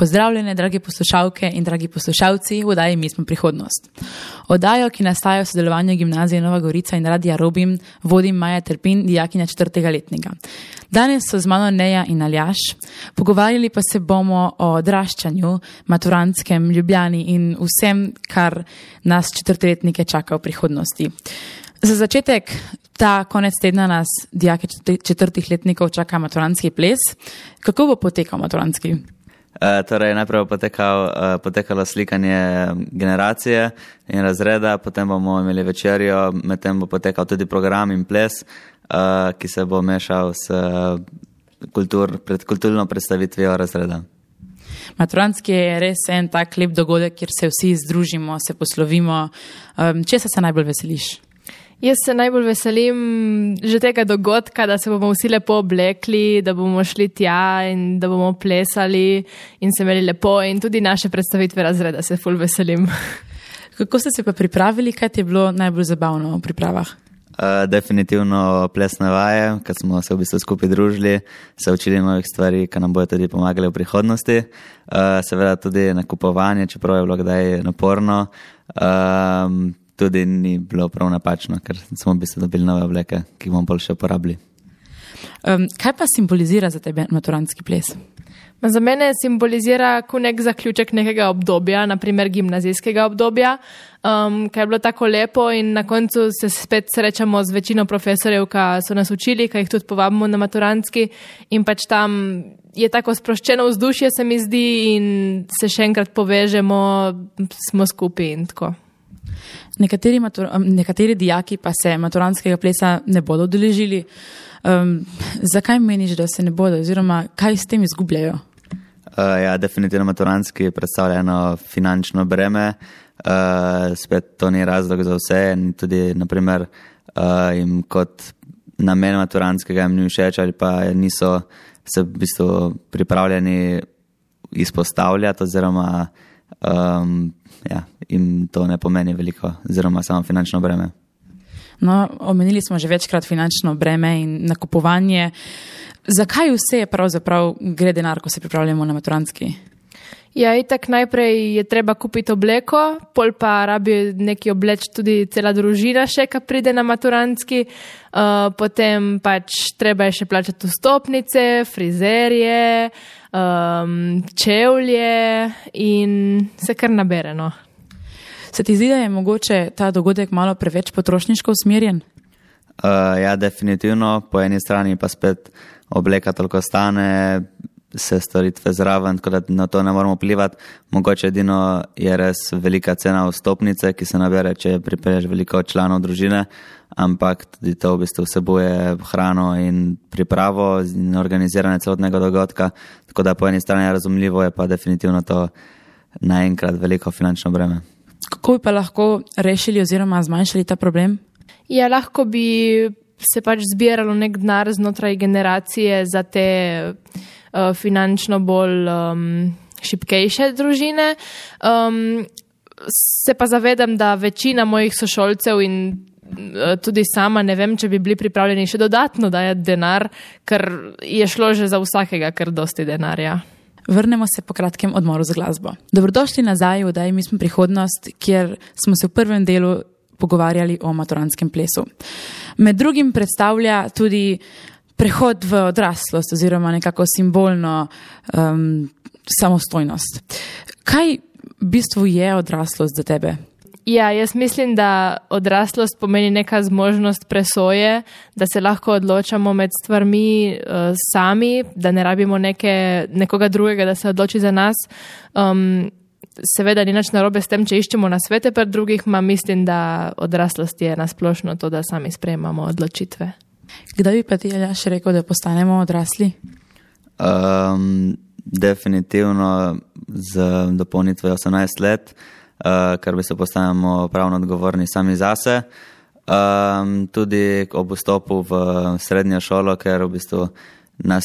Pozdravljene, dragi poslušalke in dragi poslušalci, v oddaji Mi smo prihodnost. Oddajo, ki nastaja v sodelovanju Gimnazije Nova Gorica in Radia Robim, vodim Maja Terpin, dijakinja 4. letnika. Danes so z mano Neja in Aljaž, pogovarjali pa se bomo o odraščanju, maturantskem, Ljubljani in vsem, kar nas 4-letnike čaka v prihodnosti. Za začetek, ta konec tedna nas, dijake 4. letnikov, čaka maturantski ples. Kako bo potekal maturantski? Torej, najprej bo potekalo slikanje generacije in razreda, potem bomo imeli večerjo, medtem bo potekal tudi program in ples, ki se bo mešal s kulturno predstavitvijo razreda. Maturantski je res en tak lep dogodek, kjer se vsi združimo, se poslovimo. Česa se najbolj veseliš? Jaz se najbolj veselim že tega dogodka, da se bomo vsi lepo oblekli, da bomo šli tja in da bomo plesali in se imeli lepo in tudi naše predstavitve razreda se ful veselim. Kako ste se pa pripravili? Kaj ti je bilo najbolj zabavno v pripravah? Definitivno plesne vaje, ker smo se v bistvu skupaj družili, se učili novih stvari, ki nam bojo tudi pomagali v prihodnosti. Seveda tudi nakupovanje, čeprav je bilo kdaj naporno. Tudi ni bilo prav napačno, ker smo v bistvu dobili nove obleke, ki bomo bolj še uporabili. Kaj pa simbolizira za tebe maturantski ples? Za mene simbolizira kot nek zaključek nekega obdobja, naprimer gimnazijskega obdobja, kaj je bilo tako lepo in na koncu se spet srečamo z večino profesorjev, ki so nas učili, ki jih tudi povabimo na maturantski in pač tam je tako sproščeno vzdušje, se mi zdi, in se še enkrat povežemo, smo skupaj in tako. Nekateri dijaki pa se maturantskega plesa ne bodo udeležili. Zakaj meniš, da se ne bodo, oziroma kaj s tem izgubljajo? Ja, definitivno maturantski predstavlja eno finančno breme. Spet to ni razlog za vse in tudi, naprimer, jim kot namen maturantskega jim ni všeč ali pa niso se v bistvu pripravljeni izpostavljati oziroma jim to ne pomeni veliko, oziroma samo finančno breme. No, omenili smo že večkrat finančno breme in nakupovanje. Zakaj vse pravzaprav gre denar, ko se pripravljamo na maturantski? Ja, itak najprej je treba kupiti obleko, pol pa rabi neki obleč tudi cela družina še, ki pride na maturantski, potem pač treba je še plačati vstopnice, frizerje, čevlje in se kar nabere, no. Se ti zdi, da je mogoče ta dogodek malo preveč potrošniško usmerjen? Ja, definitivno. Po eni strani pa spet obleka toliko stane, se storitve zraven, tako da na to ne moramo vplivati. Mogoče edino je res velika cena vstopnice, ki se nabere, če pripelješ veliko članov družine, ampak tudi to v bistvu vsebuje hrano in pripravo in organiziranje celotnega dogodka, tako da po eni strani je razumljivo, je pa definitivno to naenkrat veliko finančno breme. Kako bi pa lahko rešili oziroma zmanjšali ta problem? Ja, lahko bi se pač zbiralo nek denar znotraj generacije za te finančno bolj šibkejše družine. Se pa zavedam, da večina mojih sošolcev in tudi sama ne vem, če bi bili pripravljeni še dodatno dajati denar, ker je šlo že za vsakega kar dosti denarja. Vrnemo se po kratkem odmoru za glasbo. Dobrodošli nazaj v oddaji Mi smo prihodnost, kjer smo se v prvem delu pogovarjali o maturantskem plesu. Med drugim predstavlja tudi prehod v odraslost oziroma nekako simbolno samostojnost. Kaj v bistvu je odraslost za tebe? Ja, jaz mislim, da odraslost pomeni neka zmožnost presoje, da se lahko odločamo med stvarmi sami, da ne rabimo nekoga drugega, da se odloči za nas. Seveda ni nič narobe s tem, če iščemo nasvete pri drugih, mislim, da odraslost je nasplošno to, da sami sprejemamo odločitve. Kdaj bi pa ti, Aljaž, rekel, da postanemo odrasli? Definitivno z dopolnitvijo 18 let, ker bi se postanemo pravno odgovorni sami zase. Tudi ob vstopu v srednjo šolo, ker v bistvu nas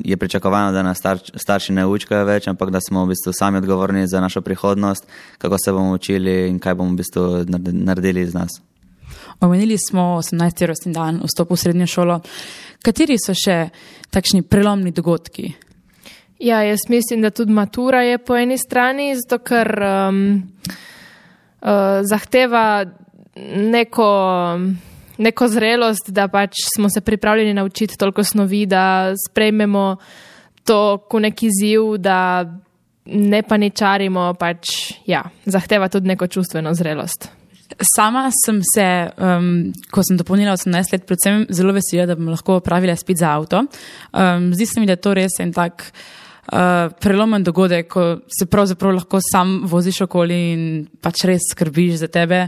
je pričakovano, da nas starši ne učkajo več, ampak da smo v bistvu sami odgovorni za našo prihodnost, kako se bomo učili in kaj bomo v bistvu naredili iz nas. Omenili smo 18. rojstni dan, vstop v srednjo šolo. Kateri so še takšni prelomni dogodki? Ja, jaz mislim, da tudi matura je po eni strani, zato ker zahteva neko zrelost, da pač smo se pripravljeni naučiti toliko snovi, da sprejmemo to kot neki izziv, da ne paničarimo, pač, ja, zahteva tudi neko čustveno zrelost. Sama sem se, ko sem dopolnila 18 let, predvsem zelo vesela, da bom lahko opravila izpit za avto. Zdi se mi, da je to res en tak prelomen dogodek, ko se pravzaprav lahko sam voziš okoli in pač res skrbiš za tebe.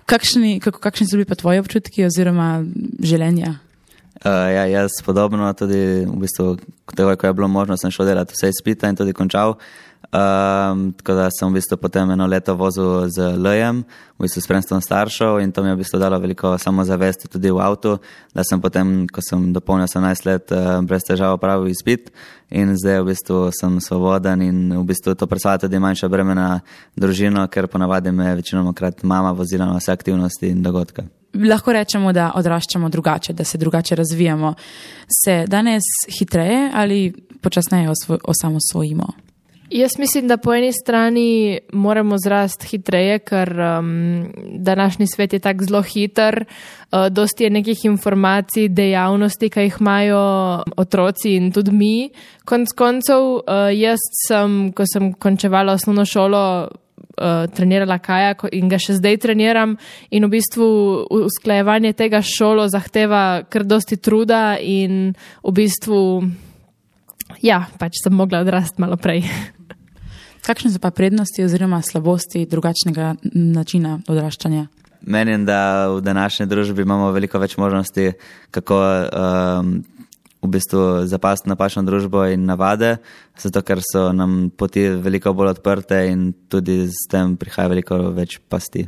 Kakšni so bili pa tvoji občutki oziroma željenja? Ja, jaz podobno, tudi v bistvu, ko je bilo možno, sem šel delati vse izpita in tudi končal. Tako da sem v bistvu potem 1 leto vozil z L-jem, v bistvu spremstvom staršev, in to mi je v bistvu dalo veliko samozavesti tudi v avtu, da sem potem, ko sem dopolnil 18 let, brez težav opravil izpit in zdaj v bistvu sem svoboden in v bistvu to predstavlja tudi manjša breme na družino, ker ponavadi me večinoma mama vozila na vse aktivnosti in dogodke. Lahko rečemo, da odraščamo drugače, da se drugače razvijamo. Se danes hitreje ali počasneje osamosvojimo? Jaz mislim, da po eni strani moramo zrasti hitreje, ker današnji svet je tak zelo hiter, dosti je nekih informacij, dejavnosti, ki jih imajo otroci in tudi mi. Konec koncev, jaz sem, ko sem končevala osnovno šolo, trenirala kajak in ga še zdaj treniram, in v bistvu usklajevanje tega šolo zahteva kar dosti truda in v bistvu, ja, pač sem mogla odrasti malo prej. Kakšne so pa prednosti oziroma slabosti drugačnega načina odraščanja? Menim, da v današnji družbi imamo veliko več možnosti, kako v bistvu zapasti napačno družbo in navade, zato ker so nam poti veliko bolj odprte in tudi s tem prihaja veliko več pasti.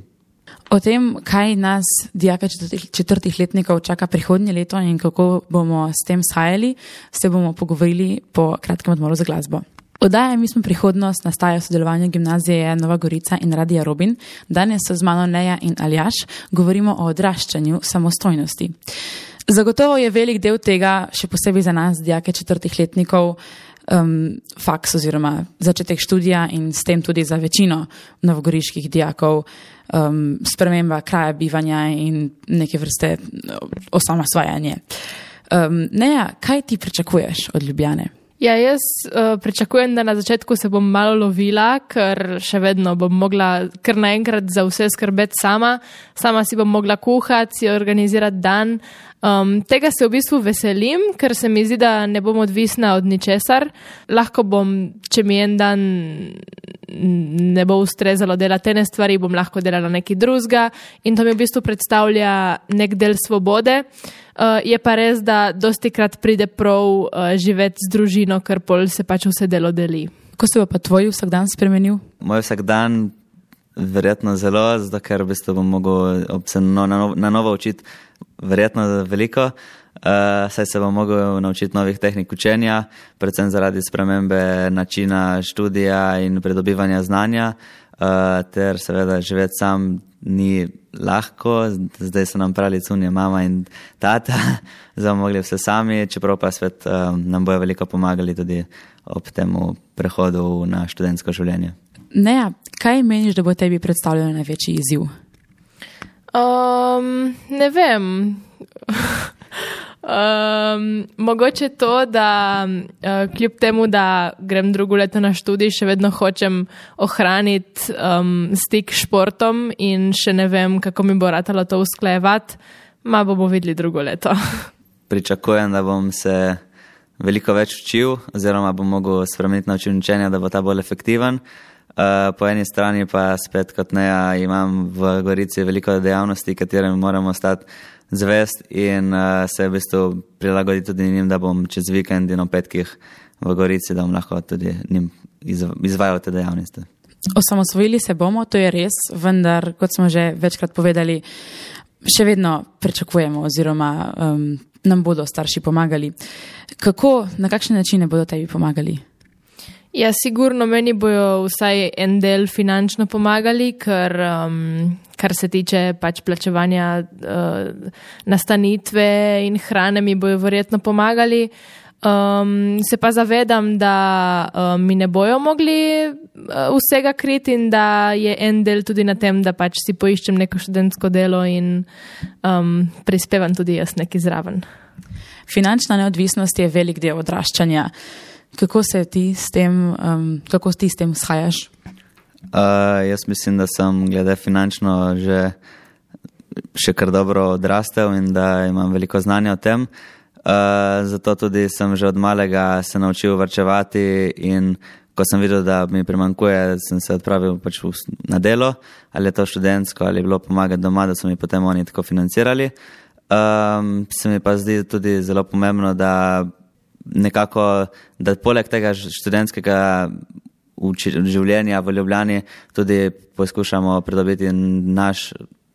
O tem, kaj nas, dijake 4. letnikov, čaka prihodnje leto in kako bomo s tem shajali, se bomo pogovorili po kratkem odmoru za glasbo. Oddaja Mi smo prihodnost nastaja v sodelovanju Gimnazije Nova Gorica in Radia Robin. Danes so z mano Neja in Aljaž, govorimo o odraščanju samostojnosti. Zagotovo je velik del tega, še posebej za nas, dijake 4. letnikov, faks oziroma začetek študija in s tem tudi za večino novogoriških dijakov sprememba kraja bivanja in neke vrste osamosvajanje. Neja, kaj ti pričakuješ od Ljubljane? Ja, jaz pričakujem, da na začetku se bom malo lovila, ker še vedno bom mogla kar naenkrat za vse skrbeti sama si bom mogla kuhati, si organizirati dan. Tega se v bistvu veselim, ker se mi zdi, da ne bom odvisna od ničesar. Lahko bom, če mi en dan ne bo ustrezalo delati ene stvari, bom lahko delala nekaj drugega in to mi v bistvu predstavlja nek del svobode. Je pa res, da dostikrat pride prav živeti z družino, ker pol se pač vse delo deli. Kako se bo pa tvoj vsakdan spremenil? Moj vsakdan verjetno zelo, zato ker v bistvu bom mogel se na novo učiti verjetno veliko, saj se bom mogel naučiti novih tehnik učenja, predvsem zaradi spremembe načina študija in pridobivanja znanja, ter seveda živeti sam ni lahko, zdaj so nam pravili cunje mama in tata, zdaj bomo mogli vse sami, čeprav pa svet nam bojo veliko pomagali tudi ob temu prehodu na študentsko življenje. Neja, kaj meniš, da bo tebi predstavljalo največji izziv? Ne vem. Mogoče to, da kljub temu, da grem drugo leto na študij, še vedno hočem ohraniti stik s športom in še ne vem, kako mi bo ratalo to usklajevati. Bomo videli drugo leto. Pričakujem, da bom se veliko več učil oziroma bom mogel spremeniti način učenja, da bo ta bolj efektiven. Po eni strani pa spet kot Neja imam v Gorici veliko dejavnosti, katerem moramo ostati zvest in se v bistvu prilagoditi tudi njim, da bom čez vikend in o petkih v Gorici, da bom lahko tudi njim izvajal te dejavnosti. Osamosvojili se bomo, to je res, vendar, kot smo že večkrat povedali, še vedno pričakujemo oziroma nam bodo starši pomagali. Kako, na kakšne načine bodo tebi pomagali? Ja, sigurno meni bojo vsaj en del finančno pomagali, ker kar se tiče pač plačevanja nastanitve in hrane mi bojo verjetno pomagali. Se pa zavedam, da mi ne bojo mogli vsega kriti in da je en del tudi na tem, da pač si poiščem neko študentsko delo in prispevam tudi jaz nekaj zraven. Finančna neodvisnost je velik del odraščanja. Kako ti s tem shajaš? Jaz mislim, da sem glede finančno še kar dobro odrastel in da imam veliko znanja o tem. Zato tudi sem že od malega se naučil varčevati in ko sem videl, da mi primanjkuje, sem se odpravil pač na delo, ali je to študentsko, ali je bilo pomagati doma, da so mi potem oni tako financirali. Se mi pa zdi tudi zelo pomembno, da nekako, da poleg tega študentskega življenja v Ljubljani tudi poskušamo pridobiti naš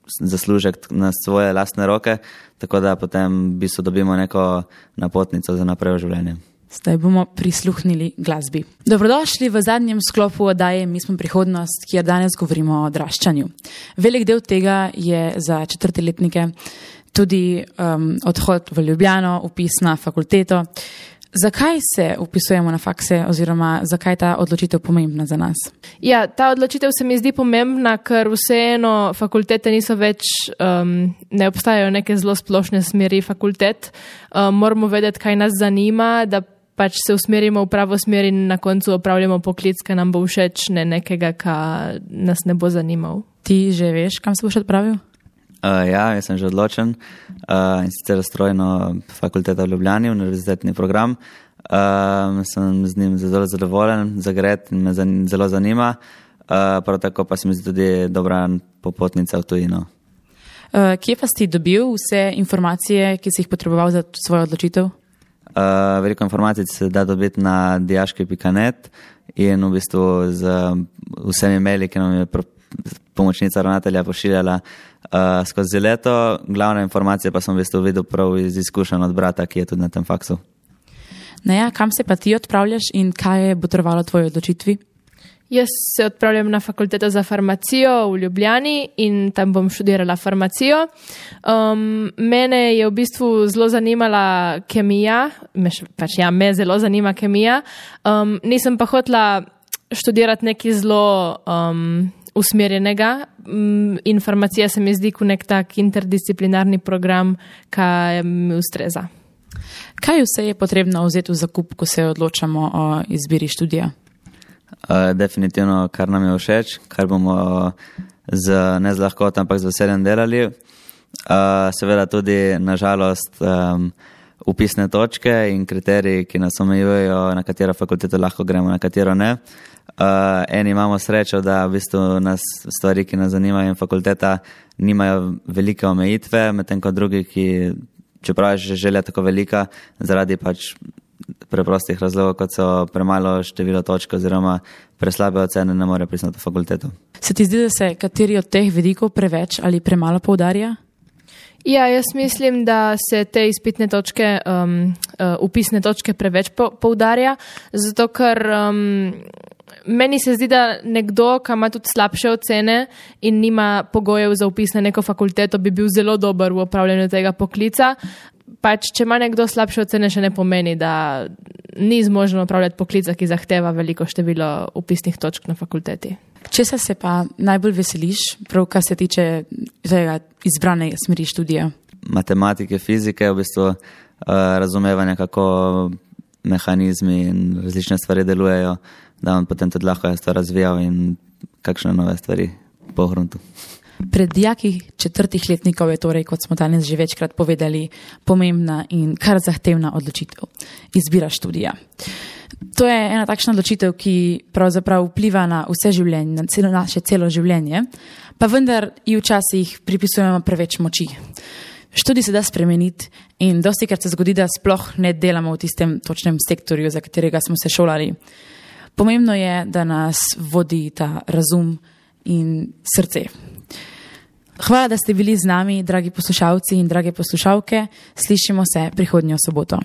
zaslužek na svoje lastne roke, tako da potem v bistvu dobimo neko napotnico za naprej v življenje. Zdaj bomo prisluhnili glasbi. Dobrodošli v zadnjem sklopu oddaje Mi smo prihodnost, kjer danes govorimo o odraščanju. Velik del tega je za četrtiletnike tudi odhod v Ljubljano, vpis na fakulteto. Zakaj se vpisujemo na fakse oziroma zakaj je ta odločitev pomembna za nas? Ja, ta odločitev se mi zdi pomembna, ker vseeno fakultete niso več, ne obstajajo neke zelo splošne smeri fakultet. Moramo vedeti, kaj nas zanima, da pač se usmerimo v pravo smer in na koncu opravljamo poklic, ki nam bo všeč, ne nekega, kar nas ne bo zanimal. Ti že veš, kam se boš odpravil? Ja, jaz sem že odločen in sicer strojno fakulteta v Ljubljani, univerzitetni program. Sem z njim zelo zadovoljen, zagret in me zelo zanima. Prav tako pa se mi zdi tudi dobra popotnica v tujino. Kje pa si dobil vse informacije, ki si jih potreboval za svojo odločitev? Veliko informacij se da dobiti na dijaški.net in v bistvu z vsemi maili, ki nam je pomočnica ravnatelja pošiljala skozi leto. Glavne informacije pa sem v bistvu videl prav iz izkušenj od brata, ki je tudi na tem faksu. Naja, kam se pa ti odpravljaš in kaj je botrovalo tvoji odločitvi? Jaz se odpravljam na fakulteto za farmacijo v Ljubljani in tam bom študirala farmacijo. Mene je v bistvu zelo zanimala kemija, me zelo zanima kemija. Nisem pa hotela študirati nekaj zelo usmerjenega. Farmacija se mi zdi kot nek tak interdisciplinarni program, ki mi ustreza. Kaj vse je potrebno vzeti v zakup, ko se odločamo o izbiri študija? Definitivno, kar nam je všeč, kar bomo ne z lahkoto, ampak z veseljem delali. Seveda tudi, nažalost, upisne točke in kriteriji, ki nas omejujejo, na katero fakulteto lahko gremo, na katero ne. Eni imamo srečo, da v bistvu nas stvari, ki nas zanimajo in fakulteta, nimajo velike omejitve, medtem ko drugi, ki, čeprav je že želja tako velika, zaradi pač preprostih razlogov, kot so premalo število točk oziroma preslabe ocene, ne more priti na to fakulteto. Se ti zdi, da se kateri od teh vidikov preveč ali premalo poudarja? Ja, jaz mislim, da se te izpitne točke, upisne točke preveč poudarja, zato ker meni se zdi, da nekdo, ki ima tudi slabše ocene in nima pogojev za upis na neko fakulteto, bi bil zelo dober v opravljanju tega poklica. Pač, če ima nekdo slabše ocene, še ne pomeni, da ni zmožen opravljati poklica, ki zahteva veliko število upisnih točk na fakulteti. Česa se pa najbolj veseliš, prav kar se tiče izbrane smeri študija? Matematike, fizike, v bistvu razumevanje, kako mehanizmi in različne stvari delujejo, da on potem tudi lahko jaz to razvijal in kakšne nove stvari po gruntu. Pred dijaki četrtih letnikov je torej, kot smo danes že večkrat povedali, pomembna in kar zahtevna odločitev. Izbira študija. To je ena takšna odločitev, ki pravzaprav vpliva na vse življenje, na naše celo življenje, pa vendar ji včasih pripisujemo preveč moči. Študij se da spremeniti in dostikrat se zgodi, da sploh ne delamo v tistem točnem sektorju, za katerega smo se šolali. Pomembno je, da nas vodi ta razum in srce. Hvala, da ste bili z nami, dragi poslušalci in drage poslušalke. Slišimo se prihodnjo soboto.